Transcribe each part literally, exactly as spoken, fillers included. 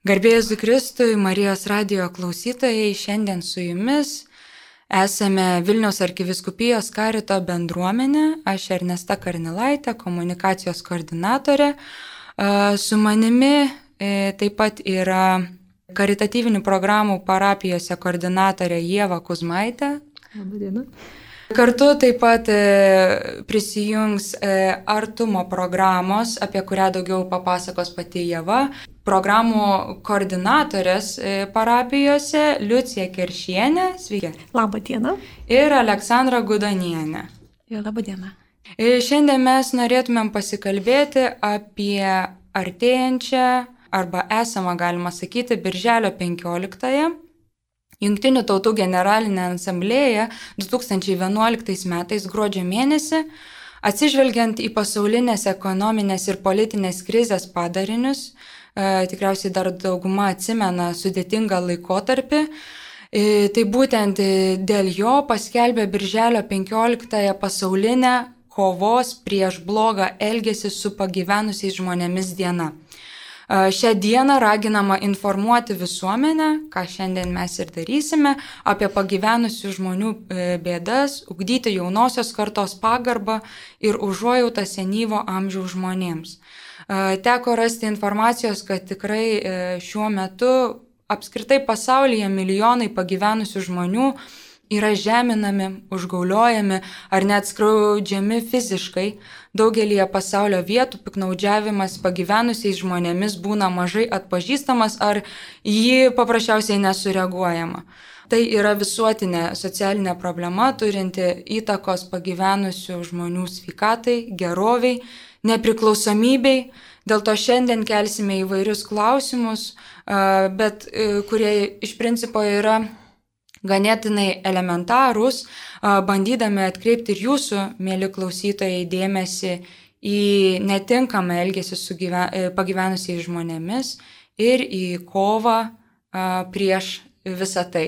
Garbėjus Kristui, Marijos radijo klausytojai, šiandien su jumis esame Vilniaus arkivyskupijos karito bendruomenė, aš Ernesta Karnilaitė, komunikacijos koordinatorė. Su manimi taip pat yra karitatyvinių programų parapijose koordinatorė Ieva Kuzmaitė. Labadiena. Kartu taip pat prisijungs artumo programos, apie kurią daugiau papasakos pati Ieva, programų koordinatorės parapijose Liucija Keršienė, sveiki. Labadiena. Ir Aleksandra Gudonienė. Ir labadiena. Šiandien mes norėtumėm pasikalbėti apie artėjančią, arba esamą, galima sakyti, Birželio penkioliktąją. Jungtinių tautų generalinė asamblėja du tūkstančiai vienuoliktais metais gruodžio mėnesį, atsižvelgiant į pasaulinės ekonominės ir politinės krizės padarinius, e, tikriausiai dar dauguma atsimena sudėtingą laikotarpį, e, tai būtent dėl jo paskelbė Birželio penkioliktąją pasaulinę kovos prieš blogą elgesį su pagyvenusiais žmonėmis diena. Šią dieną raginama informuoti visuomenę, ką šiandien mes ir darysime, apie pagyvenusių žmonių bėdas, ugdyti jaunosios kartos pagarbą ir užuojautą senyvo amžiaus žmonėms. Teko rasti informacijos, kad tikrai šiuo metu apskritai pasaulyje milijonai pagyvenusių žmonių yra žeminami, užgauliojami ar net skriaudžiami fiziškai. Daugelįje pasaulio vietų piknaudžiavimas pagyvenusiais žmonėmis būna mažai atpažįstamas ar jį paprasčiausiai nesureaguojama. Tai yra visuotinė socialinė problema, turinti įtakos pagyvenusių žmonių sveikatai, geroviai, nepriklausomybei. Dėl to šiandien kelsime įvairius klausimus, bet kurie iš principo yra ganėtinai elementarūs, bandydami atkreipti ir jūsų, mėly klausytojai, dėmesį į netinkamą elgesį su gyven, pagyvenusiais žmonėmis ir į kovą prieš visą tai.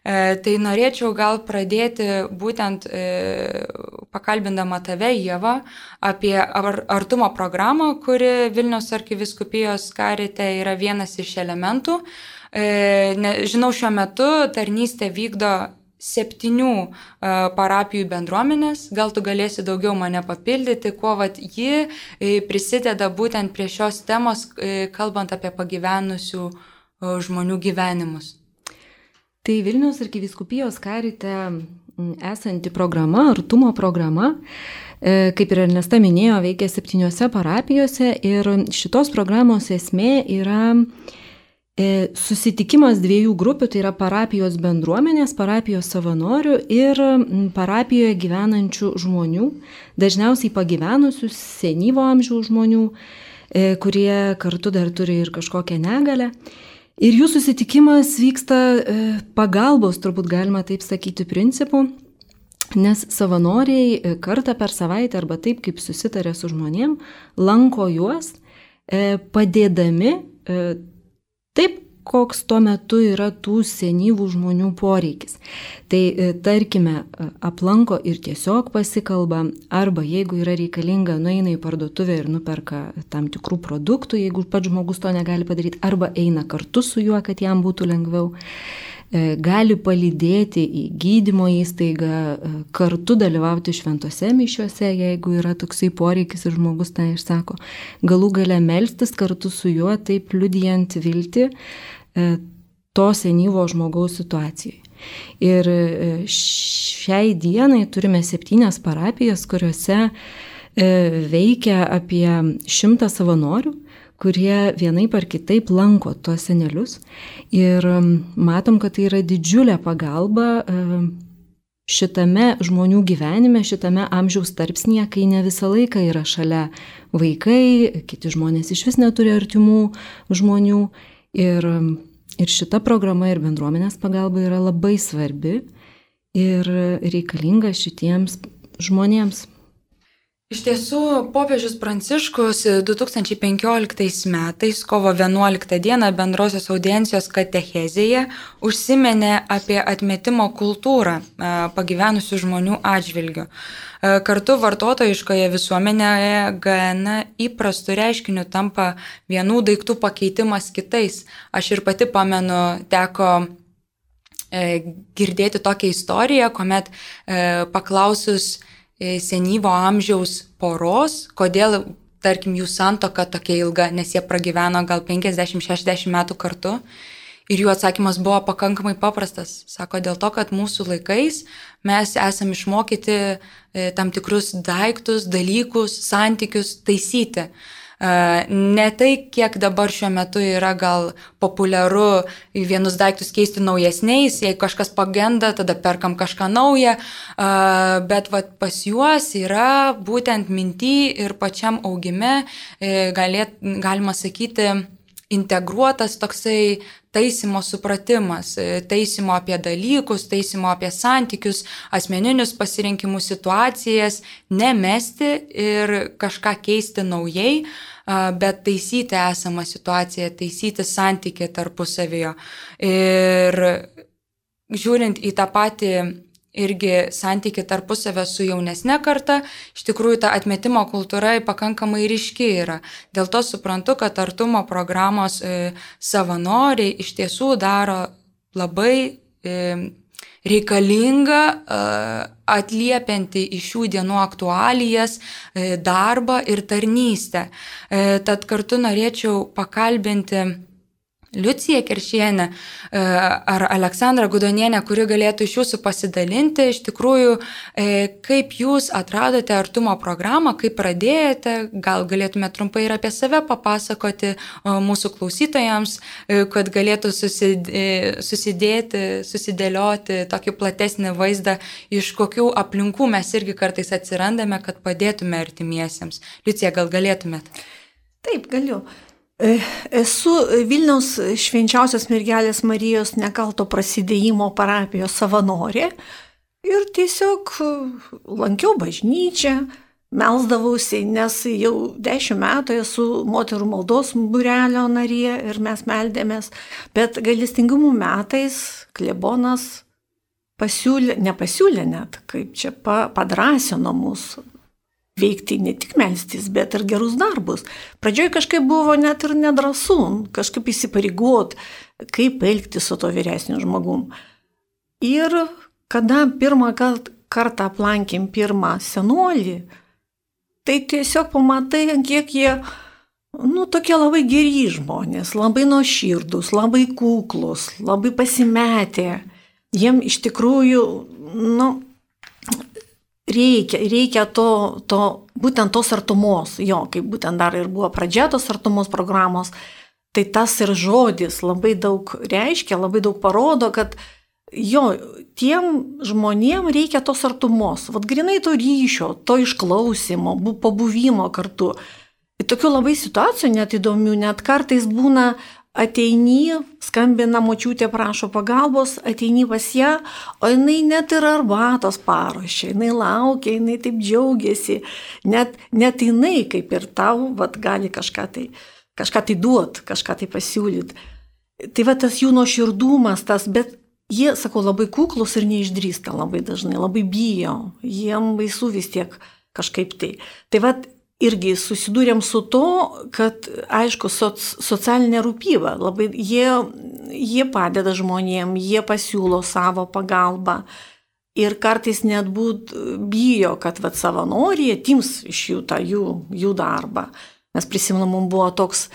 Tai norėčiau gal pradėti būtent pakalbindama tave, Ieva, apie artumo programą, kuri Vilniaus arkivyskupijos karite yra vienas iš elementų. Žinau, šiuo metu tarnystę vykdo septynių parapijų bendruomenės, gal tu galėsi daugiau mane papildyti, kuo vat ji prisideda būtent prie šios temos, kalbant apie pagyvenusių žmonių gyvenimus. Tai Vilniaus arkivyskupijos karite esanti programa, artumo programa, kaip ir Ernesta minėjo, veikia septyniose parapijose ir šitos programos esmė yra susitikimas dviejų grupių, tai yra parapijos bendruomenės, parapijos savanorių ir parapijoje gyvenančių žmonių, dažniausiai pagyvenusių, senyvo amžiaus žmonių, kurie kartu dar turi ir kažkokią negalę. Ir jų susitikimas vyksta pagalbos, turbūt galima taip sakyti, principu, nes savanoriai kartą per savaitę arba taip, kaip susitarė su žmonėm, lanko juos padėdami taip, koks tuo metu yra tų senyvų žmonių poreikis. Tai tarkime, aplanko ir tiesiog pasikalba, arba jeigu yra reikalinga, nueina į parduotuvę ir nuperka tam tikrų produktų, jeigu pats žmogus to negali padaryti, arba eina kartu su juo, kad jam būtų lengviau. Gali palydėti į gydymo įstaigą, kartu dalyvauti šventose mišiuose, jeigu yra toksai poreikis ir žmogus tą išsako. Galų gale melstis kartu su juo, taip liudijant viltį to senyvo žmogaus situacijai. Ir šiai dienai turime septynias parapijas, kuriuose veikia apie šimtą savanorių, kurie vienaip ar kitaip lanko tuos senelius. Ir matom, kad tai yra didžiulė pagalba šitame žmonių gyvenime, šitame amžiaus tarpsnyje, kai ne visą laiką yra šalia vaikai, kiti žmonės iš vis neturi artimų žmonių. Ir, ir šita programa ir bendruomenės pagalba yra labai svarbi ir reikalinga šitiems žmonėms. Iš tiesų, popiežius Pranciškus du tūkstančiai penkioliktais metais, kovo vienuoliktą dieną bendrosios audiencijos katechezėje užsiminė apie atmetimo kultūrą pagyvenusių žmonių atžvilgių. Kartu vartotojiškoje visuomenėje gana įprastų reiškinių tampa vienų daiktų pakeitimas kitais. Aš ir pati pamenu, teko girdėti tokią istoriją, kuomet paklausus senyvo amžiaus poros, kodėl, tarkim, jų santuoka tokia ilga, nes jie pragyveno gal penkiasdešimt šešiasdešimt metų kartu. Ir jų atsakymas buvo pakankamai paprastas. Sako, dėl to, kad mūsų laikais mes esame išmokyti tam tikrus daiktus, dalykus, santykius taisyti. Ne tai, kiek dabar šiuo metu yra gal populiaru vienus daiktus keisti naujesniais, jei kažkas pagenda, tada perkam kažką naują, bet vat, pas juos yra būtent minty ir pačiam augime, galėt, galima sakyti, integruotas toksai taisymo supratimas, taisymo apie dalykus, taisymo apie santykius, asmeninius pasirinkimus, situacijas, nemesti ir kažką keisti naujai, bet taisyti esamą situaciją, taisyti santykį tarpusavyje. Ir žiūrint į tą patį irgi santykį tarpusavę su jaunesne karta, iš tikrųjų ta atmetimo kultūra pakankamai ryški yra. Dėl to suprantu, kad artumo programos e, savanoriai iš tiesų daro labai e, reikalingą e, atliepiantį į šių dienų aktualijas e, darbą ir tarnystę. E, tad kartu norėčiau pakalbinti Liuciją Keršienę ar Aleksandrą Gudonienę, kuri galėtų iš jūsų pasidalinti, iš tikrųjų, kaip jūs atradote artumo programą, kaip pradėjote, gal galėtumėte trumpai ir apie save papasakoti mūsų klausytojams, kad galėtų susidėti, susidėlioti tokį platesnį vaizdą, iš kokių aplinkų mes irgi kartais atsirandame, kad padėtume artimiesiems. Liucija, gal galėtumėt? Taip, galiu. Esu Vilniaus Švenčiausios Mergelės Marijos Nekalto prasidėjimo parapijos savanorė ir tiesiog lankiau bažnyčią, melsdavausi, nes jau dešimt metų esu moterų maldos būrelio narė ir mes meldėmės, bet gailestingumo metais klebonas pasiūlė, nepasiūlė net, kaip čia padrasino mus veikti ne tik melstis, bet ir gerus darbus. Pradžioj kažkaip buvo net ir nedrąsu, kažkaip įsipareigot, kaip elgti su to vyresniu žmogum. Ir kada pirmą kartą aplankėm pirmą senolį, tai tiesiog pamatai, kiek jie, nu, tokie labai geri žmonės, labai nuoširdūs, labai kuklus, labai pasimetę. Jiem iš tikrųjų, nu, Reikia, reikia to, to, būtent tos artumos, jo, kaip būtent dar ir buvo pradžia tos artumos programos, tai tas ir žodis labai daug reiškia, labai daug parodo, kad jo, tiem žmonėm reikia tos artumos, vat grinai to ryšio, to išklausimo, pabuvimo kartu. Ir tokių labai situacijų net įdomių, net kartais būna ateini, skambina močiutė, prašo pagalbos, ateini pas ją, o jinai net ir arbatos paruošia, jinai laukia, jinai taip džiaugiasi, net, net jinai kaip ir tau, vat, gali kažką tai, kažką tai duot, kažką tai pasiūlyti. Tai va tas jų nuoširdumas, tas, bet jie, sakau, labai kuklus ir neišdrįsta labai dažnai, labai bijo, jiem baisu vis tiek kažkaip tai. Tai va irgi susidūrėm su to, kad, aišku, soc, socialinė rūpyba, labai, jie, jie padeda žmonėm, jie pasiūlo savo pagalbą ir kartais net būt bijo, kad vat, savanoriai atims iš jų tą jų, jų darbą. Mes prisimenu, mums buvo toks,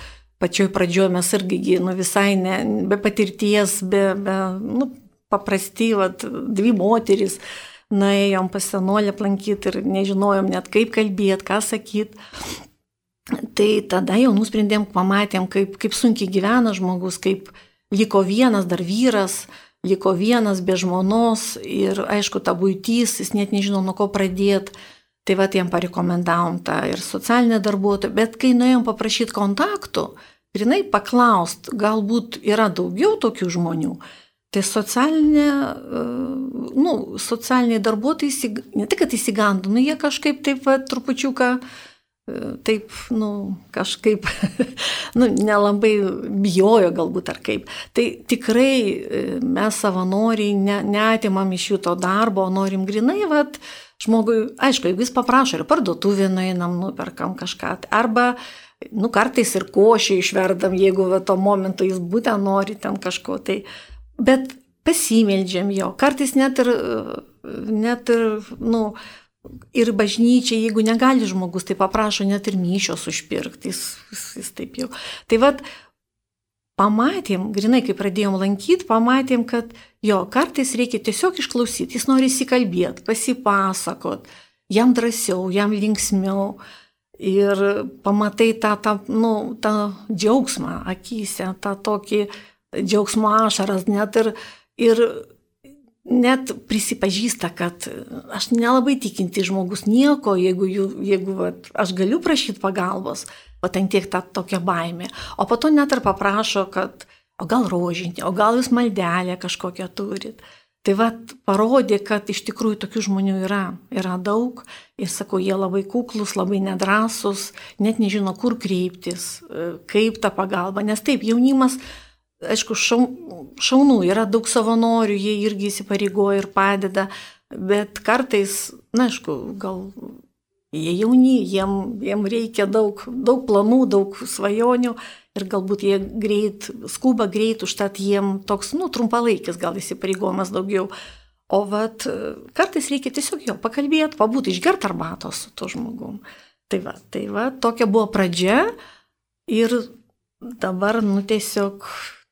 pačioj pradžioje mes irgi nu, visai ne, be patirties, be, be nu, paprasti, vat, dvi moteris, nuėjom pas senolį aplankyti ir nežinojom net kaip kalbėti, ką sakyti. Tai tada jau nusprendėm, pamatėm, kaip, kaip sunkiai gyvena žmogus, kaip liko vienas dar vyras, liko vienas be žmonos ir aišku, ta buitys, jis net nežino, nuo ko pradėti. Tai va, jam parekomendavom tą ir socialinę darbuotoją, bet kai nuėjom paprašyti kontaktų, grinai paklaust, galbūt yra daugiau tokių žmonių, tai socialinė, nu, socialiniai darbuotojai, ne tik, kad įsigandų, nu, jie kažkaip taip va, trupučiuką, taip, nu, kažkaip, nu, nelabai bijojo galbūt ar kaip. Tai tikrai mes savanoriai ne, neatimam iš jų to darbo, norim grinai, va, žmogui, aišku, jeigu jis paprašo, ir parduotuvė nueinam, nuperkam kažką, arba, nu, kartais ir košį išverdam, jeigu va, to momento jis būtent nori ten kažko, tai, bet pasimeldžiam jo, kartais net ir, net ir, nu, ir bažnyčia, jeigu negali žmogus, tai paprašo net ir mišios užpirkti, jis, jis, jis taip jau. Tai vad, pamatėm, grinai, kai pradėjom lankyti, pamatėm, kad jo, kartais reikia tiesiog išklausyti, jis nori įsikalbėti, pasipasakot, jam drąsiau, jam linksmiau ir pamatai tą, tą, nu, tą džiaugsmą akyse, tą tokį džiaugsmo ašaras, net ir, ir net prisipažįsta, kad aš nelabai tikinti žmogus nieko, jeigu, jeigu va, aš galiu prašyti pagalbos, o ten tiek ta tokia baimė. O po to net ir paprašo, kad o gal rožinį, o gal jūs maldelę kažkokią turit. Tai va, parodė, kad iš tikrųjų tokių žmonių yra, yra daug. Ir sakau, jie labai kuklus, labai nedrąsus, net nežino, kur kreiptis, kaip ta pagalba. Nes taip, jaunimas, aišku, šaunų, yra daug savanorių, jie irgi įsipareigoja ir padeda, bet kartais, na, aišku, gal jie jauni, jiem, jiem reikia daug, daug planų, daug svajonių ir galbūt jie greit, skuba greit, užtat jiem toks, nu, trumpalaikis gal įsipareigojimas daugiau. O vat, kartais reikia tiesiog jo pakalbėti, pabūti, išgerti arbatos su to žmogum. Tai va, tai va, tokia buvo pradžia ir dabar, nu, tiesiog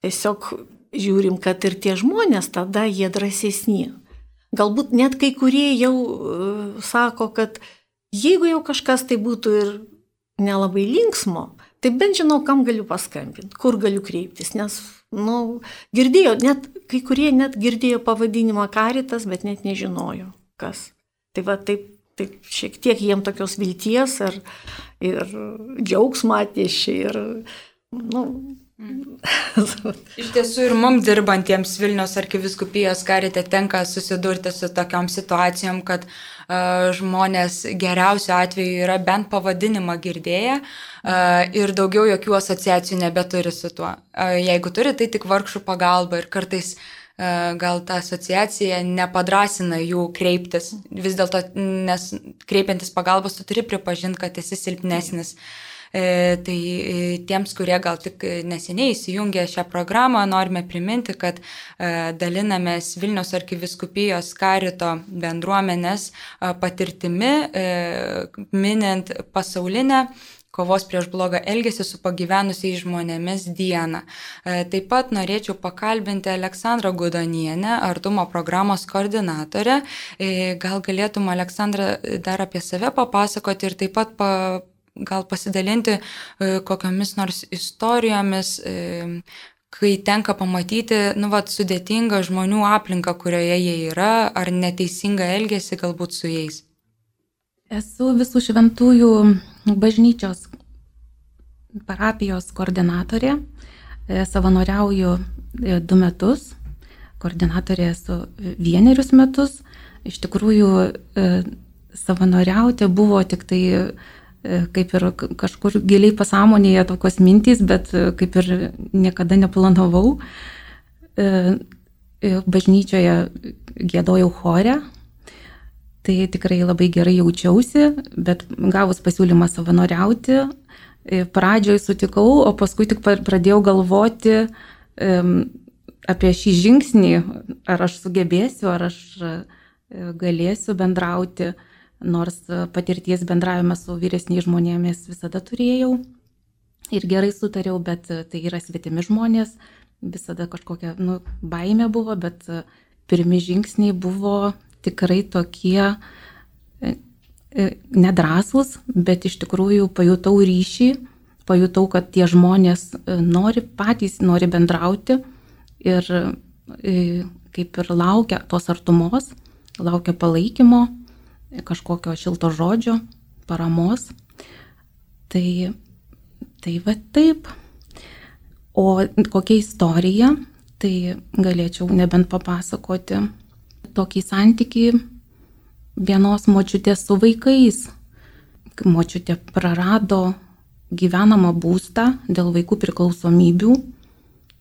Tiesiog žiūrim, kad ir tie žmonės tada jie drąsesni. Galbūt net kai kurie jau uh, sako, kad jeigu jau kažkas tai būtų ir nelabai linksmo, tai bent žinau, kam galiu paskambinti, kur galiu kreiptis, nes, nu, girdėjo, net kai kurie net girdėjo pavadinimą Karitas, bet net nežinojo, kas. Tai va, taip, taip šiek tiek jiem tokios vilties ir, ir džiaugsmą atnešė ir, nu, iš tiesų ir mums dirbantiems Vilniaus arkivyskupijos karite tenka susidurti su tokiom situacijom, kad uh, žmonės geriausiu atveju yra bent pavadinimą girdėję uh, ir daugiau jokių asociacijų nebeturi su tuo. Uh, jeigu turi, tai tik vargšų pagalba ir kartais uh, gal ta asociacija nepadrasina jų kreiptis. Vis dėlto, nes kreipiantis pagalbos, tu turi pripažinti, kad esi silpnesnis. E, tai e, tiems, kurie gal tik neseniai įsijungė šią programą, norime priminti, kad e, dalinamės Vilniaus arkivyskupijos karito bendruomenės e, patirtimi, e, minint pasaulinę kovos prieš blogą elgesį su pagyvenusiais žmonėmis dieną. E, taip pat norėčiau pakalbinti Aleksandrą Gudonienę, Artumo programos koordinatorę. E, gal galėtum, Aleksandra, dar apie save papasakoti ir taip pat pa gal pasidalinti kokiamis nors istorijomis, kai tenka pamatyti, nu, vat, sudėtingą žmonių aplinką, kurioje jie yra, ar neteisingą elgesį galbūt su jais. Esu Visų Šventųjų bažnyčios parapijos koordinatorė, savanoriauju du metus, koordinatorė esu vienerius metus. Iš tikrųjų, savanoriauti buvo tik tai kaip ir kažkur giliai pasąmonėje tokios mintys, bet kaip ir niekada neplanavau. Bažnyčioje giedojau chore, tai tikrai labai gerai jaučiausi, bet gavus pasiūlymą savanoriauti, pradžioje sutikau, o paskui tik pradėjau galvoti apie šį žingsnį, ar aš sugebėsiu, ar aš galėsiu bendrauti. Nors patirties bendravime su vyresniais žmonėmis visada turėjau ir gerai sutariau, bet tai yra svetimi žmonės, visada kažkokia, nu, baimė buvo, bet pirmi žingsniai buvo tikrai tokie nedrąsūs, bet iš tikrųjų pajutau ryšį, pajutau, kad tie žmonės nori patys, nori bendrauti ir kaip ir laukia tos artumos, laukia palaikymo, kažkokio šilto žodžio, paramos. Tai, tai va taip. O kokia istorija? Tai galėčiau nebent papasakoti tokį santykį vienos močiutės su vaikais. Močiutė prarado gyvenamą būstą dėl vaikų priklausomybių.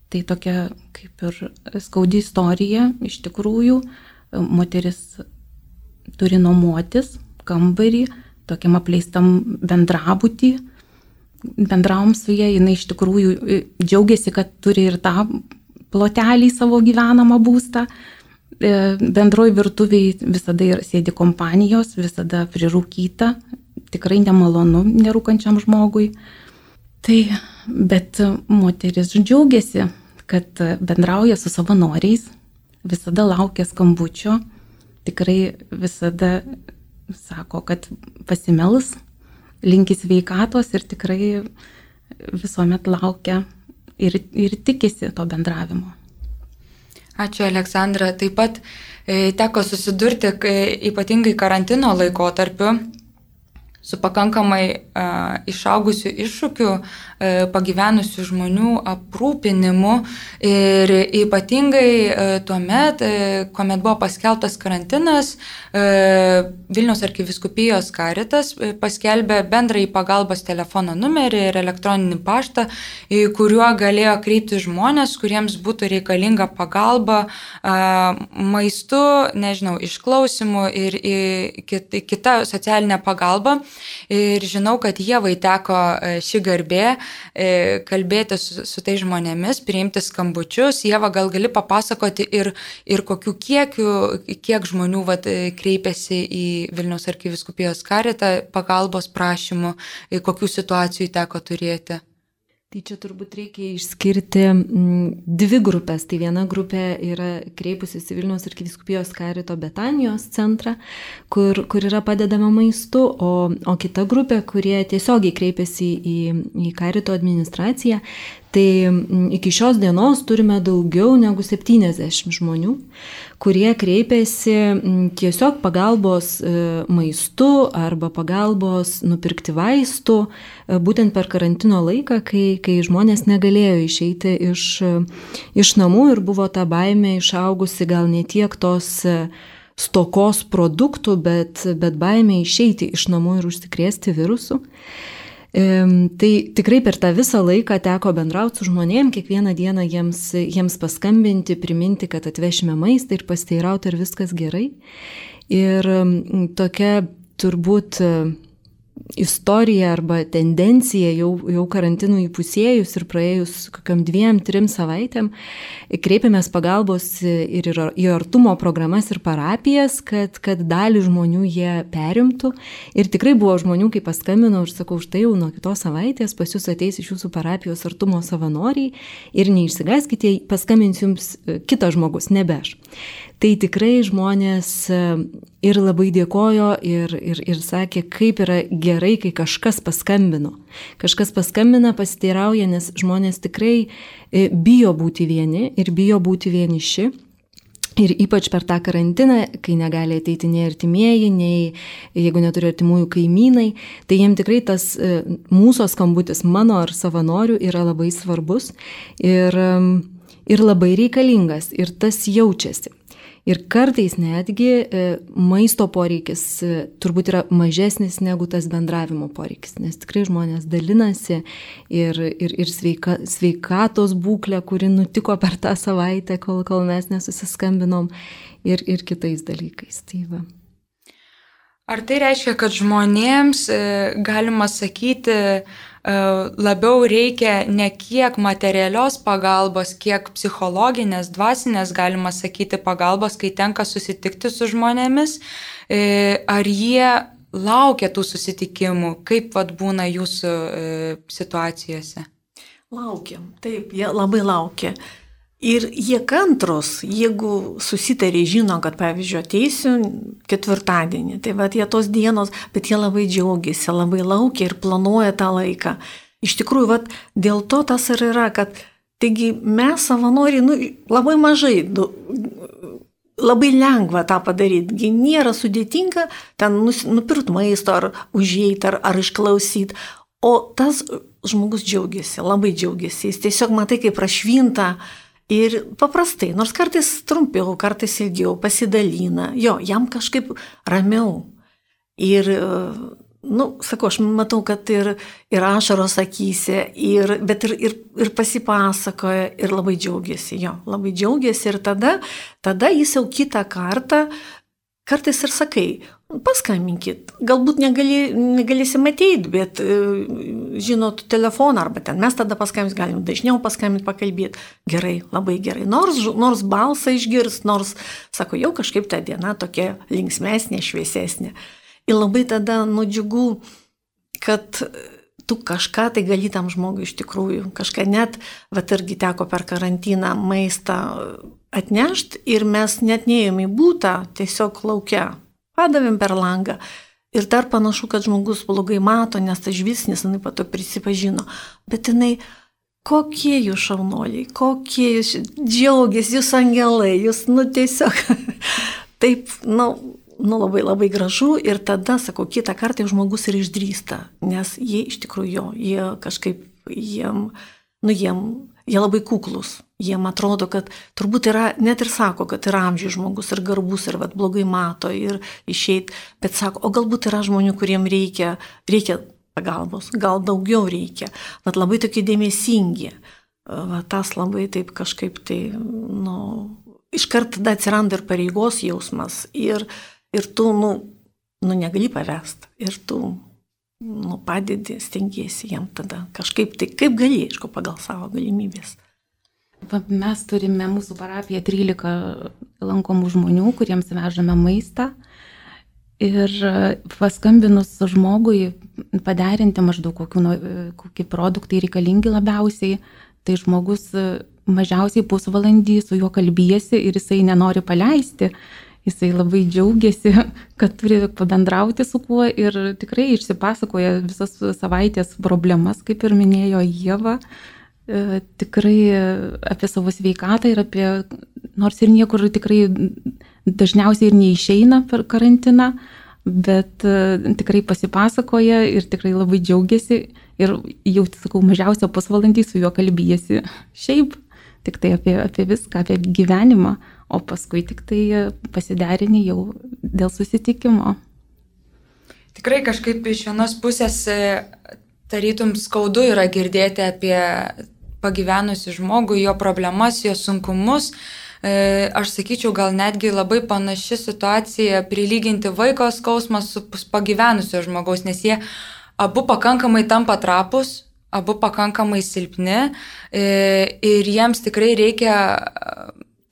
Tai tokia kaip ir skaudi istorija. Iš tikrųjų, moteris turi nuomotis kambarį tokiam apleistam bendrabutį. Bendravom su ja, jinai iš tikrųjų džiaugiasi, kad turi ir tą plotelį savo gyvenamą būstą. Bendroj virtuviai visada sėdi kompanijos, visada prirūkyta, tikrai nemalonu nerūkančiam žmogui. Tai, bet moteris džiaugiasi, kad bendrauja su savanoriais, visada laukia skambučio, tikrai visada sako, kad pasimels, linki sveikatos ir tikrai visuomet laukia ir, ir tikisi to bendravimo. Ačiū, Aleksandra. Taip pat e, teko susidurti, kai, ypatingai karantino laikotarpiu, su pakankamai e, išaugusiu iššūkiu e, pagyvenusių žmonių aprūpinimu ir ypatingai e, tuomet, e, kuomet buvo paskelbtas karantinas, e, Vilniaus arkivyskupijos Caritas e, paskelbė bendrąjį pagalbos telefono numerį ir elektroninį paštą, į kuriuo galėjo kreipti žmonės, kuriems būtų reikalinga pagalba e, maistu, nežinau, išklausimu ir į, kit, kita socialinė pagalba. Ir žinau, kad Ievai teko ši garbė kalbėti su, su tai žmonėmis, priimti skambučius. Ieva, gal gali papasakoti ir, ir kokiu kiekiu, kiek žmonių vat, kreipiasi į Vilniaus arkivyskupijos Caritą pagalbos prašymų, kokių situacijų teko turėti? Tai čia turbūt reikia išskirti dvi grupės. Tai viena grupė yra kreipusis į Vilniaus arkivyskupijos Carito Betanijos centrą, kur, kur yra padedama maistu, o, o kita grupė, kurie tiesiogiai kreipiasi į, į Carito administraciją. Tai iki šios dienos turime daugiau negu septyniasdešimt žmonių, kurie kreipiasi tiesiog pagalbos maistu arba pagalbos nupirkti vaistų, būtent per karantino laiką, kai, kai žmonės negalėjo išeiti iš, iš namų ir buvo ta baimė išaugusi gal ne tiek tos stokos produktų, bet, bet baimė išeiti iš namų ir užsikrėsti virusų. Tai tikrai per tą visą laiką teko bendrauti su žmonėm, kiekvieną dieną jiems, jiems paskambinti, priminti, kad atvešime maistą ir pasiteirauti, ar viskas gerai. Ir tokia turbūt istorija arba tendencija jau, jau karantinų įpusėjus ir praėjus kokiam dviem, trim savaitėm, kreipėmės pagalbos ir į artumo programas ir parapijas, kad, kad dalį žmonių jie perimtų. Ir tikrai buvo žmonių, kai paskambinau ir sakau, štai jau nuo kitos savaitės pas jūs ateis iš jūsų parapijos artumo savanoriai ir neišsigąskite, paskambins jums kitas žmogus, nebe aš. Tai tikrai žmonės ir labai dėkojo ir, ir, ir sakė, kaip yra gerai, kai kažkas paskambino. Kažkas paskambina, pasiteirauja, nes žmonės tikrai bijo būti vieni ir bijo būti vieniši. Ir ypač per tą karantiną, kai negali ateiti nei artimieji, nei jeigu neturi artimųjų kaimynai, tai jiem tikrai tas mūsų skambutis, mano ar savanorių, yra labai svarbus ir, ir labai reikalingas ir tas jaučiasi. Ir kartais netgi maisto poreikis turbūt yra mažesnis negu tas bendravimo poreikis, nes tikrai žmonės dalinasi ir, ir, ir sveika, sveikatos būklė, kuri nutiko per tą savaitę, kol, kol mes nesusiskambinom, ir, ir kitais dalykais. Tai va. Ar tai reiškia, kad žmonėms, galima sakyti, labiau reikia ne kiek materialios pagalbos, kiek psichologinės, dvasinės, galima sakyti, pagalbos, kai tenka susitikti su žmonėmis? Ar jie laukia tų susitikimų? Kaip vat būna jūsų situacijose? Laukiam, taip, jie labai laukia. Ir jie kantrus, jeigu susitarė, žino, kad, pavyzdžiui, ateisiu ketvirtadienį, tai va, jie tos dienos, bet jie labai džiaugiasi, labai laukia ir planuoja tą laiką. Iš tikrųjų, va, dėl to tas ir yra, kad, taigi, mes savanoriai, nu, labai mažai, du, labai lengva tą padaryti, gi nėra sudėtinga ten nupirkti maisto, ar užeiti, ar, ar išklausyti, o tas žmogus džiaugiasi, labai džiaugiasi, jis tiesiog matai, kaip prašvinta. Ir paprastai, nors kartais trumpiau, kartais ilgiau, pasidalina, jo, jam kažkaip ramiau. Ir, nu, sakau, aš matau, kad ir, ir ašaros akyse, ir, bet ir, ir, ir pasipasakoja, ir labai džiaugiasi, jo, labai džiaugiasi. Ir tada, tada jis jau kitą kartą, kartais ir sakai, paskambinkit, galbūt negali, negalėsim ateiti, bet žinot telefoną, arba ten mes tada paskambinti, galim dažniau paskambinti, pakalbėti. Gerai, labai gerai. Nors, nors balsą išgirs, nors, sako, jau kažkaip ta diena tokia linksmesnė, šviesesnė. Ir labai tada nudžiugu, kad tu kažką tai gali tam žmogui iš tikrųjų, kažką net, vat irgi teko per karantiną maistą atnešti ir mes net neėjom į būtą, tiesiog laukia. Padavėm per langą. Ir dar panašu, kad žmogus blogai mato, nes tas žvilgsnis, jinai pato prisipažino. Bet jinai, kokie jūs šaunoliai, kokie jūs džiaugiasi, jūs angelai, jūs, nu tiesiog, taip, nu, nu labai labai gražu. Ir tada, sakau, kitą kartą žmogus ir išdrįsta, nes jie iš tikrųjų jo, jie kažkaip, jiem, nu jiem, jie labai kuklus. Jiem atrodo, kad turbūt yra, net ir sako, kad yra amžiai žmogus ir garbus ir vat, blogai mato ir išeit, bet sako, o galbūt yra žmonių, kuriem reikia, reikia pagalbos, gal daugiau reikia, vat labai tokie dėmesingi, vat, tas labai taip kažkaip tai, nu, iškart tada atsiranda ir pareigos jausmas ir, ir tu, nu, nu, negali pavest ir tu, nu, padedi, stengiesi jam tada kažkaip tai, kaip gali, aišku, pagal savo galimybės. Mes turime mūsų parapiją trylika lankomų žmonių, kuriems vežame maistą. Ir paskambinus žmogui paderinti maždaug kokiu, kokie produktai reikalingi labiausiai, tai žmogus mažiausiai pusvalandį su juo kalbėsi ir jisai nenori paleisti. Jisai labai džiaugiasi, kad turi pabendrauti su kuo ir tikrai išsipasakoja visas savaitės problemas, kaip ir minėjo Ieva. Tikrai apie savo sveikatą ir apie, nors ir niekur tikrai dažniausiai ir neišeina per karantiną, bet tikrai pasipasakoja ir tikrai labai džiaugiasi ir jau, sakau, mažiausia pusvalandį su juo kalbėsi šiaip, tik tai apie, apie viską, apie gyvenimą, o paskui tik tai pasiderini jau dėl susitikimo. Tikrai kažkaip iš vienos pusės tarytum skaudu yra girdėti apie pagyvenusi žmogų, jo problemas, jo sunkumus. Aš sakyčiau, gal netgi labai panaši situacija prilyginti vaiko skausmą su pagyvenusio žmogaus, nes jie abu pakankamai tampa trapus, abu pakankamai silpni ir jiems tikrai reikia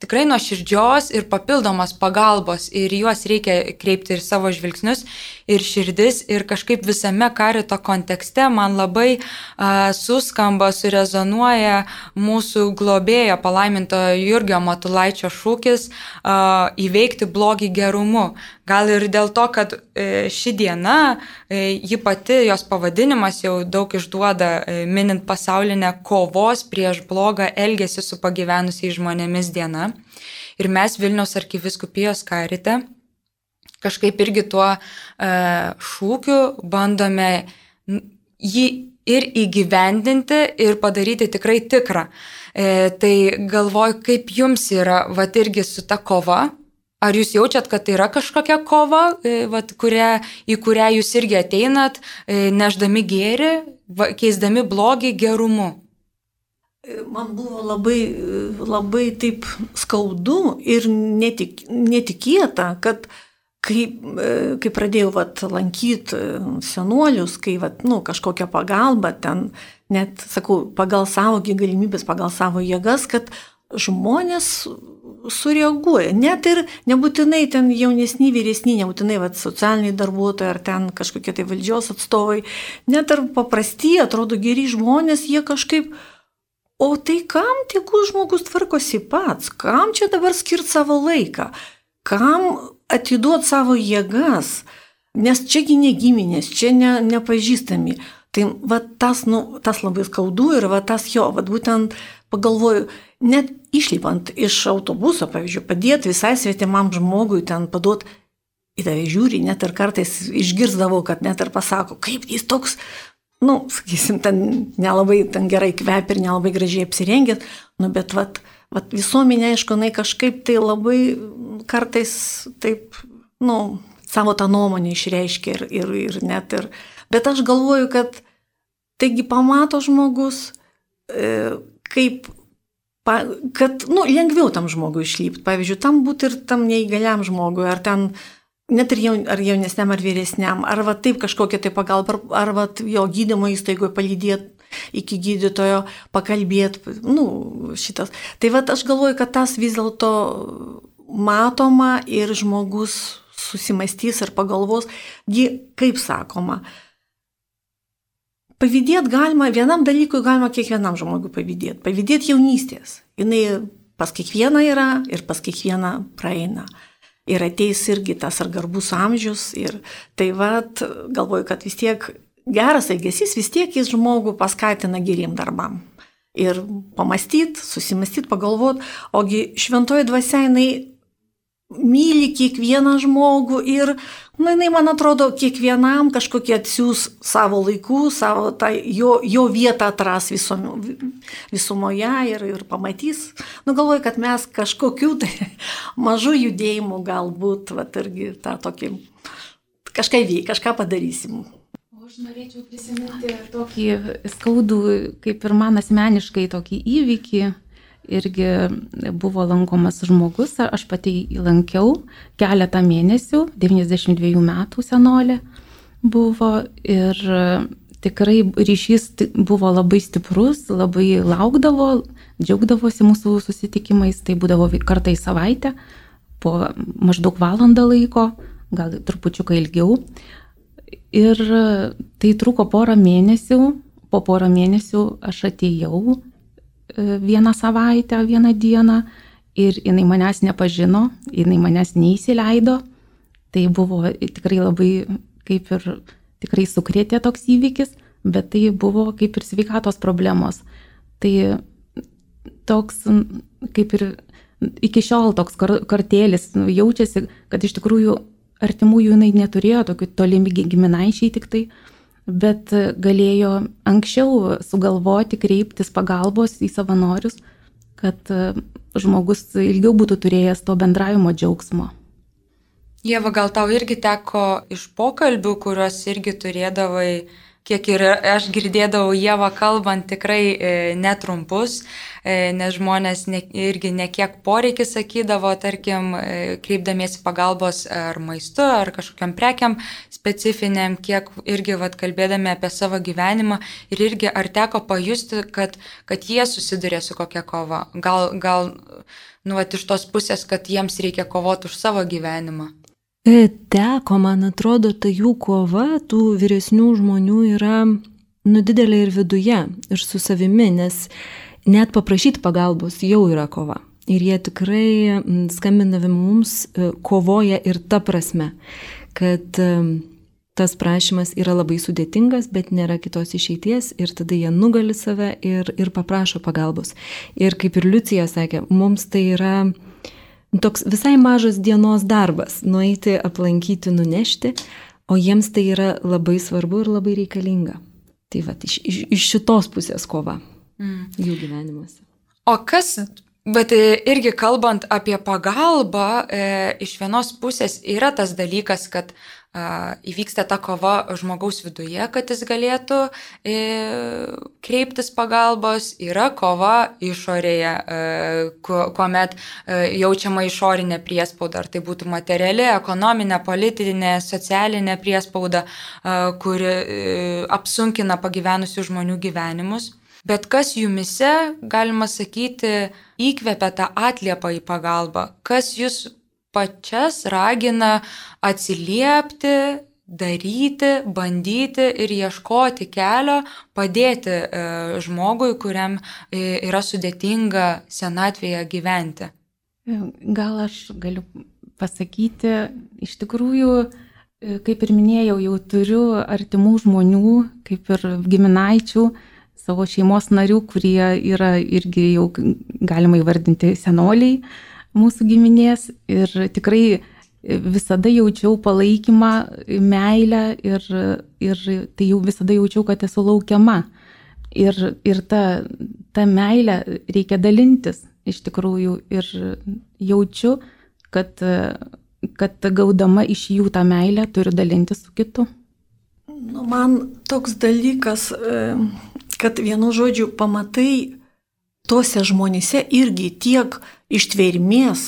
tikrai nuoširdžios ir papildomos pagalbos ir juos reikia kreipti ir savo žvilgsnius ir širdis ir kažkaip visame karito kontekste man labai a, suskamba, surezonuoja mūsų globėjo palaiminto Jurgio Matulaičio šūkis a, įveikti blogį gerumu. Gal ir dėl to, kad e, ši diena, e, ji pati, jos pavadinimas jau daug išduoda, e, minint pasaulinę kovos prieš blogą elgesį su pagyvenusiais žmonėmis diena. Ir mes Vilniaus arkivyskupijos karite kažkaip irgi tuo e, šūkiu bandome jį ir įgyvendinti ir padaryti tikrai tikrą. E, tai galvoju, kaip jums yra, vat irgi su ta kova. Ar jūs jaučiat, kad tai yra kažkokia kova, vat, kuria, į kurią jūs irgi ateinat, neždami gėrį, keisdami blogį gerumu? Man buvo labai, labai taip skaudu ir netik, netikėta, kad kai, kai pradėjau vat, lankyti senuolius, kai vat, nu, kažkokią pagalbą, ten net, sakau, pagal savo galimybės, pagal savo jėgas, kad žmonės sureaguoja. Net ir nebūtinai ten jaunesni, vyresni, nebūtinai vat, socialiniai darbuotojai ar ten kažkokie tai valdžios atstovai, net ir paprasti, atrodo geri žmonės, jie kažkaip, o tai kam tegu žmogus tvarkosi pats, kam čia dabar skirti savo laiką, kam atiduoti savo jėgas, nes čiagi ne giminės, čia ne, nepažįstami. Tai va tas, nu, tas labai skaudu ir va tas jo, va būtent pagalvoju, net išlipant iš autobuso, pavyzdžiui, padėti visai svetimam žmogui, ten paduoti, į tave žiūri, net ir kartais išgirsdavau, kad net ir pasako, kaip jis toks, nu, sakysim, ten nelabai ten gerai kvepia ir nelabai gražiai apsirengęs, nu, bet vat, vat visuomenė, aišku, jinai kažkaip tai labai kartais taip, nu, savo tą nuomonę išreiškia ir, ir, ir net ir, bet aš galvoju, kad taigi pamato žmogus, e, kaip, pa, kad, nu, lengviau tam žmogui išlipti, pavyzdžiui, tam būti ir tam neįgaliam žmogui, ar ten net ir jaun, ar jaunesniam, ar vyresniam, ar va taip kažkokia tai pagalba, ar, ar va jo gydymo įstaigoje palydėti iki gydytojo, pakalbėti, nu, šitas. Tai va aš galvoju, kad tas vis dėlto matoma ir žmogus susimastys ir pagalvos, kaip sakoma, pavydėti galima, vienam dalykui galima kiekvienam žmogui pavydėti, pavydėti jaunystės. Jinai pas kiekvieną yra ir pas kiekvieną praeina. Ir ateis irgi tas ar garbus amžius. Ir tai vat, galvoju, kad vis tiek geras elgesys, vis tiek jis žmogų paskatina geriem darbam. Ir pamastyti, susimastyti, pagalvoti, ogi šventoji dvasia jinai myli kiekvieną žmogų ir, nu, jinai, man atrodo, kiekvienam kažkokį atsiūs savo laikų, savo tą, jo, jo vietą atras visom, visumoje ir, ir pamatys. Nu, galvoju, kad mes kažkokių tai mažų judėjimų galbūt, va, irgi tą tokį, kažką veik, kažką padarysim. O aš norėčiau prisiminti tokį skaudų, kaip ir man asmeniškai, tokį įvykį. Irgi buvo lankomas žmogus, aš pati jį lankiau keletą mėnesių, devyniasdešimt dviejų metų senolė buvo ir tikrai ryšys buvo labai stiprus, labai laukdavo, džiaugdavosi mūsų susitikimais, tai būdavo kartą į savaitę, po maždaug valandą laiko, gal trupučiuką ilgiau. Ir tai truko porą mėnesių, po porą mėnesių aš atėjau vieną savaitę, vieną dieną ir jinai manęs nepažino, jinai manęs neįsileido. Tai buvo tikrai labai, kaip ir tikrai sukrėtė toks įvykis, bet tai buvo kaip ir sveikatos problemos. Tai toks, kaip ir iki šiol toks kartėlis jaučiasi, kad iš tikrųjų artimųjų jinai neturėjo, tokių tolimi giminaičiai tik tai, bet galėjo anksčiau sugalvoti, kreiptis pagalbos į savanorius, kad žmogus ilgiau būtų turėjęs to bendravimo džiaugsmo. Ieva, gal tau irgi teko iš pokalbių, kuriuos irgi turėdavai, kiek ir aš girdėdavau Ievą kalbant, tikrai netrumpus, nes žmonės ne, irgi nekiek poreikį sakydavo, tarkim, kreipdamiesi pagalbos ar maistu, ar kažkokiam prekiam specifiniam, kiek irgi vat, kalbėdami apie savo gyvenimą ir irgi ar teko pajusti, kad, kad jie susiduria su kokia kova. Gal, gal nu, vat, iš tos pusės, kad jiems reikia kovoti už savo gyvenimą. Teko, man atrodo, ta jų kova, tų vyresnių žmonių yra nu, didelė ir viduje, ir su savimi, nes net paprašyti pagalbos jau yra kova. Ir jie tikrai skambindami mums kovoja ir ta prasme, kad tas prašymas yra labai sudėtingas, bet nėra kitos išeities ir tada jie nugali save ir, ir paprašo pagalbos. Ir kaip ir Liucija sakė, mums tai yra toks visai mažas dienos darbas, nueiti, aplankyti, nunešti, o jiems tai yra labai svarbu ir labai reikalinga. Tai va, iš, iš, iš šitos pusės kova mm. jų gyvenimuose. O kas, bet irgi kalbant apie pagalbą, e, iš vienos pusės yra tas dalykas, kad e, įvyksta ta kova žmogaus viduje, kad jis galėtų e, kreiptis pagalbos, yra kova išorėje, e, kuomet e, jaučiama išorinė priespauda, ar tai būtų materiali, ekonominė, politinė, socialinė priespauda, e, kuri e, apsunkina pagyvenusių žmonių gyvenimus. Bet kas jumise, galima sakyti, įkvepia tą atliepą į pagalbą? Kas jūs pačias ragina atsiliepti, daryti, bandyti ir ieškoti kelio, padėti e, žmogui, kuriam e, yra sudėtinga senatvėje gyventi? Gal aš galiu pasakyti, iš tikrųjų, kaip ir minėjau, jau turiu artimų žmonių, kaip ir giminaičių, savo šeimos narių, kurie yra irgi jau galima įvardinti senoliai mūsų giminės ir tikrai visada jaučiau palaikymą, meilę ir, ir tai jau visada jaučiau, kad esu laukiama. Ir, ir ta, ta meilė reikia dalintis iš tikrųjų ir jaučiu, kad, kad gaudama iš jų tą meilę turiu dalintis su kitu. Nu, man toks dalykas, kad vienu žodžiu pamatai tuose žmonėse irgi tiek ištvermės,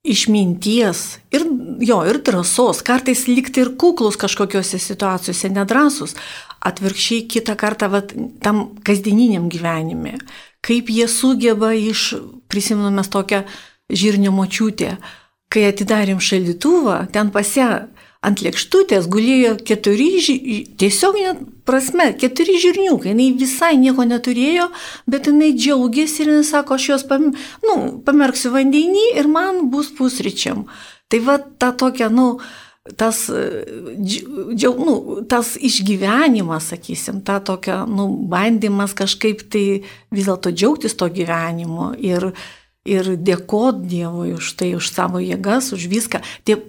išminties ir jo, ir drąsos, kartais likti ir kuklus kažkokiose situacijose, nedrąsus, atvirkščiai kitą kartą vat, tam kasdieniniam gyvenime, kaip jie sugeba iš, prisimenu mes tokią Žirnio močiutę, kai atidarėm šaldytuvą, ten pas ją ant lėkštutės gulėjo keturi, tiesiog net prasme, keturi žirniukai, jinai visai nieko neturėjo, bet jinai džiaugiasi ir jinai sako, aš juos pam, nu, pamerksiu vandenį ir man bus pusryčiam. Tai va ta tokia, nu, tas, džiau, nu, tas išgyvenimas, sakysim, ta tokia, nu, bandymas kažkaip tai vis dėlto džiaugtis to gyvenimo ir, ir dėkot Dievui už tai, už savo jėgas, už viską. Tie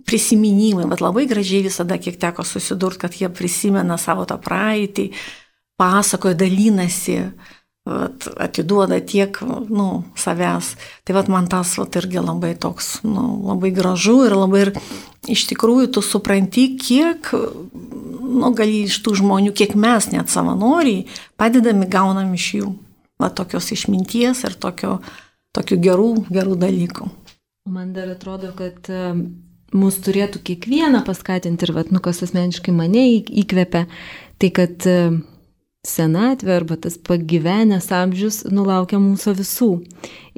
prisiminimai, bet labai gražiai visada, kiek teko susidurti, kad jie prisimena savo tą praeitį, pasakoja, dalinasi, vat, atiduoda tiek, nu, savęs. Tai vat man tas vat, irgi labai toks, nu, labai gražu ir labai ir iš tikrųjų tu supranti, kiek, nu, gali iš tų žmonių, kiek mes net savanoriai padedami gaunam iš jų. Va tokios išminties ir tokio, tokių gerų, gerų dalykų. Man dar atrodo, kad mus turėtų kiekvieną paskatinti ir, vat, nu, kas asmeniškai mane įkvepia, tai kad senatvė arba tas pagyvenęs amžius nulaukia mūsų visų.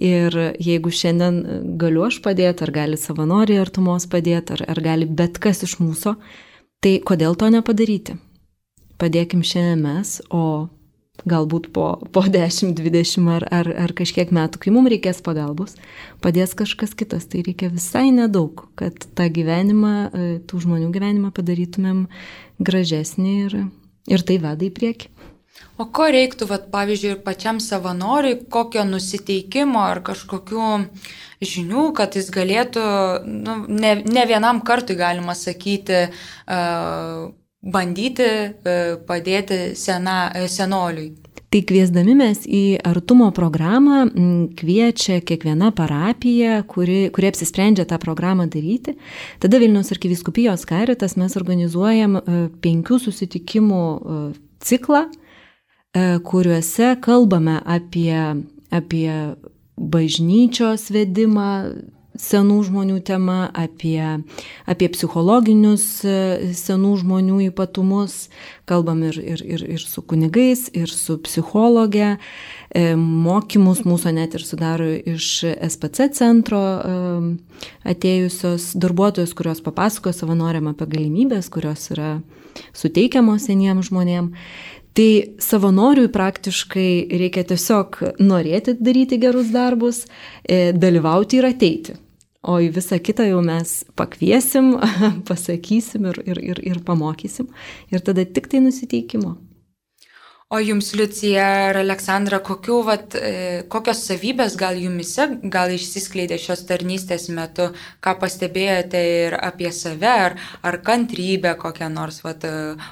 Ir jeigu šiandien galiu aš padėti, ar gali savanoriai artumos padėti, ar, ar gali bet kas iš mūsų, tai kodėl to nepadaryti? Padėkim šiandien mes, o galbūt po, po dešimt dvidešimt ar, ar, ar kažkiek metų, kai mums reikės pagalbos, padės kažkas kitas. Tai reikia visai nedaug, kad tą gyvenimą, tų žmonių gyvenimą padarytumėm gražesnį ir, ir tai veda į priekį. O ko reiktų, vat, pavyzdžiui, ir pačiam savanoriui, kokio nusiteikimo ar kažkokių žinių, kad jis galėtų, nu, ne, ne vienam kartui galima sakyti, uh, bandyti padėti sena, senoliui. Tai kviesdami mes į artumo programą kviečia kiekviena parapija, kuri, kuri apsisprendžia tą programą daryti. Tada Vilniaus arkivyskupijos Caritas mes organizuojam penkių susitikimų ciklą, kuriuose kalbame apie, apie bažnyčios vedimą, senų žmonių tema, apie, apie psichologinius senų žmonių ypatumus. Kalbam ir, ir, ir, ir su kunigais, ir su psichologė. Mokymus mūsų net ir sudaro iš S P C centro atėjusios darbuotojos, kurios papasako savanoriam apie galimybės, kurios yra suteikiamos seniems žmonėms. Tai savanoriui praktiškai reikia tiesiog norėti daryti gerus darbus, dalyvauti ir ateiti. O į visą kitą jau mes pakviesim, pasakysim ir, ir, ir, ir pamokysim. Ir tada tik tai nusiteikimo. O jums, Liucija ir Aleksandra, kokių, vat, kokios savybės gal jumise gal išsiskleidė šios tarnystės metu, ką pastebėjote ir apie save, ar, ar kantrybė kokia nors vat,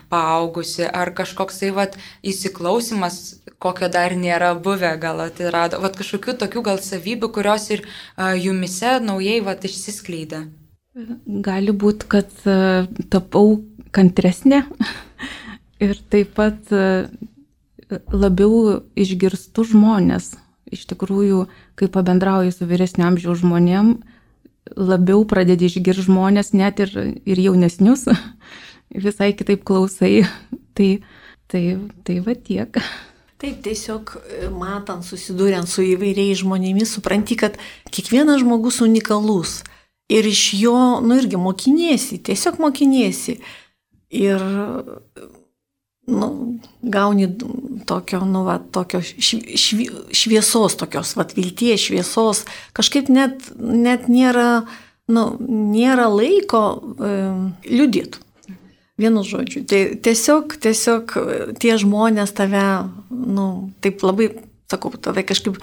paaugusi, ar kažkoks tai vat, įsiklausimas, kokio dar nėra buvę, gal atsirado, vat, kažkokių tokių gal savybių, kurios ir uh, jumise naujai vat, išsiskleidė. Gali būti, kad uh, tapau kantresnė ir taip pat uh, labiau išgirstu žmonės. Iš tikrųjų, kai pabendrauju su vyresnio amžiaus žmonėm, labiau pradedi išgirsti žmonės, net ir, ir jaunesnius, visai kitaip klausai. Tai, tai, tai va tiek. Taip, tiesiog matant, susidūrent su įvairiais žmonėmis, supranti, kad kiekvienas žmogus unikalus. Ir iš jo, nu irgi mokiniesi, tiesiog mokiniesi. Ir nu, gauni tokio, nu, va, tokio švi, šviesos, tokios, va, vilties šviesos, kažkaip net, net nėra, nu, nėra laiko e, liudėti. Vienu žodžiu. Tai tiesiog, tiesiog tie žmonės tave, nu, taip labai, sakau, tave kažkaip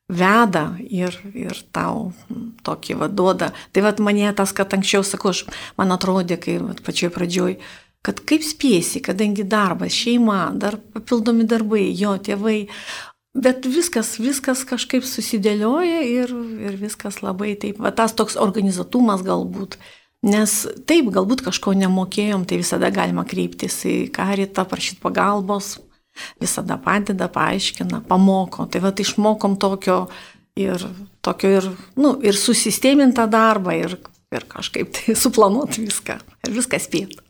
veda ir, ir tau tokį vaduoda. Tai vad mane tas, kad anksčiau, sakau, aš, man atrodė, kai vat, pačioj pradžioj, kad kaip spėsi, kadangi darbas, šeima, dar papildomi darbai, jo tėvai, bet viskas, viskas kažkaip susidėlioja ir, ir viskas labai taip, va tas toks organizatumas galbūt. Nes taip, galbūt kažko nemokėjom, tai visada galima kreiptis į karitą, prašyti pagalbos, visada padeda, paaiškina, pamoko. Tai va, išmokom tokio ir, tokio ir, nu, ir susistemintą darbą ir, ir kažkaip tai suplanuoti viską ir viską spėti.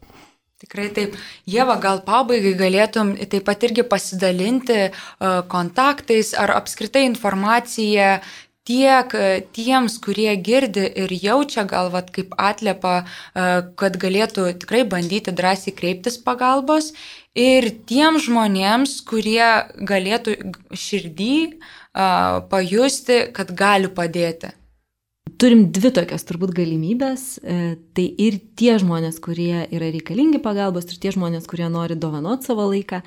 Tikrai taip. Ieva, gal pabaigai galėtum taip pat irgi pasidalinti uh, kontaktais ar apskritai informaciją tiek tiems, kurie girdi ir jaučia gal vat, kaip atliepa, uh, kad galėtų tikrai bandyti drąsiai kreiptis pagalbos ir tiems žmonėms, kurie galėtų širdį uh, pajusti, kad gali padėti. Turim dvi tokias turbūt galimybės, tai ir tie žmonės, kurie yra reikalingi pagalbos, ir tie žmonės, kurie nori dovanoti savo laiką,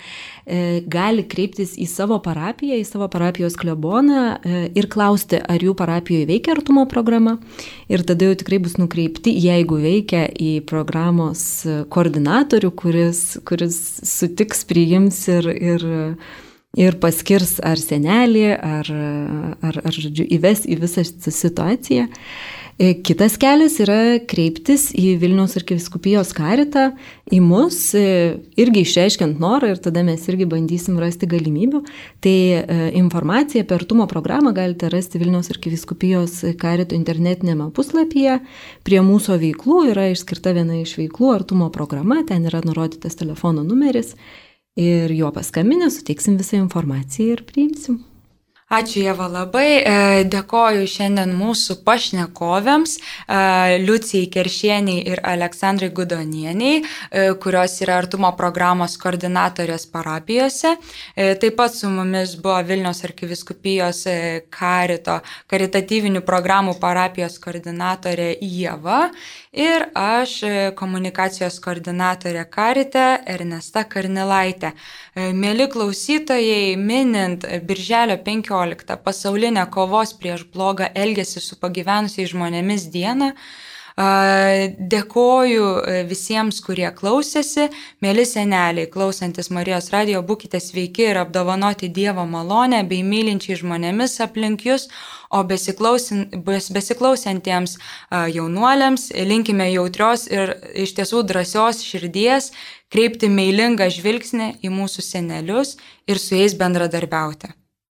gali kreiptis į savo parapiją, į savo parapijos kleboną ir klausti, ar jų parapijoje veikia artumo programa. Ir tada jau tikrai bus nukreipti, jeigu veikia, į programos koordinatorių, kuris, kuris sutiks, priims ir... ir ir paskirs ar senelį, ar, ar, ar žodžiu, įves į visą situaciją. Kitas kelias yra kreiptis į Vilniaus arkivyskupijos karitą, į mus, irgi išreiškiant norą ir tada mes irgi bandysim rasti galimybių. Tai informaciją apie artumo programą galite rasti Vilniaus arkivyskupijos karito internetinėme puslapyje. Prie mūsų veiklų yra išskirta viena iš veiklų artumo programa, ten yra nurodytas telefono numeris. Ir juo paskambinę suteiksim visą informaciją ir priimsim. Ačiū Ieva labai, dėkoju šiandien mūsų pašnekovėms, Liucijai Keršieniai ir Aleksandrai Gudonieniai, kurios yra artumo programos koordinatorės parapijose. Taip pat su mumis buvo Vilniaus arkivyskupijos karito, karitatyvinių programų parapijos koordinatorė Ieva ir aš komunikacijos koordinatorė karite Ernesta Karnilaitė. Mėly klausytojai, minint Birželio penkioliktą pasaulinę kovos prieš blogą elgesį su pagyvenusiais žmonėmis dieną, dėkoju visiems, kurie klausėsi. Mėly seneliai, klausantis Marijos radijo, būkite sveiki ir apdovanoti Dievo malonę bei mylinčiai žmonėmis aplink jūs, o besiklausantiems jaunuoliams linkime jautrios ir iš tiesų drąsios širdies, kreipti meilingą žvilgsnį į mūsų senelius ir su jais bendradarbiauti.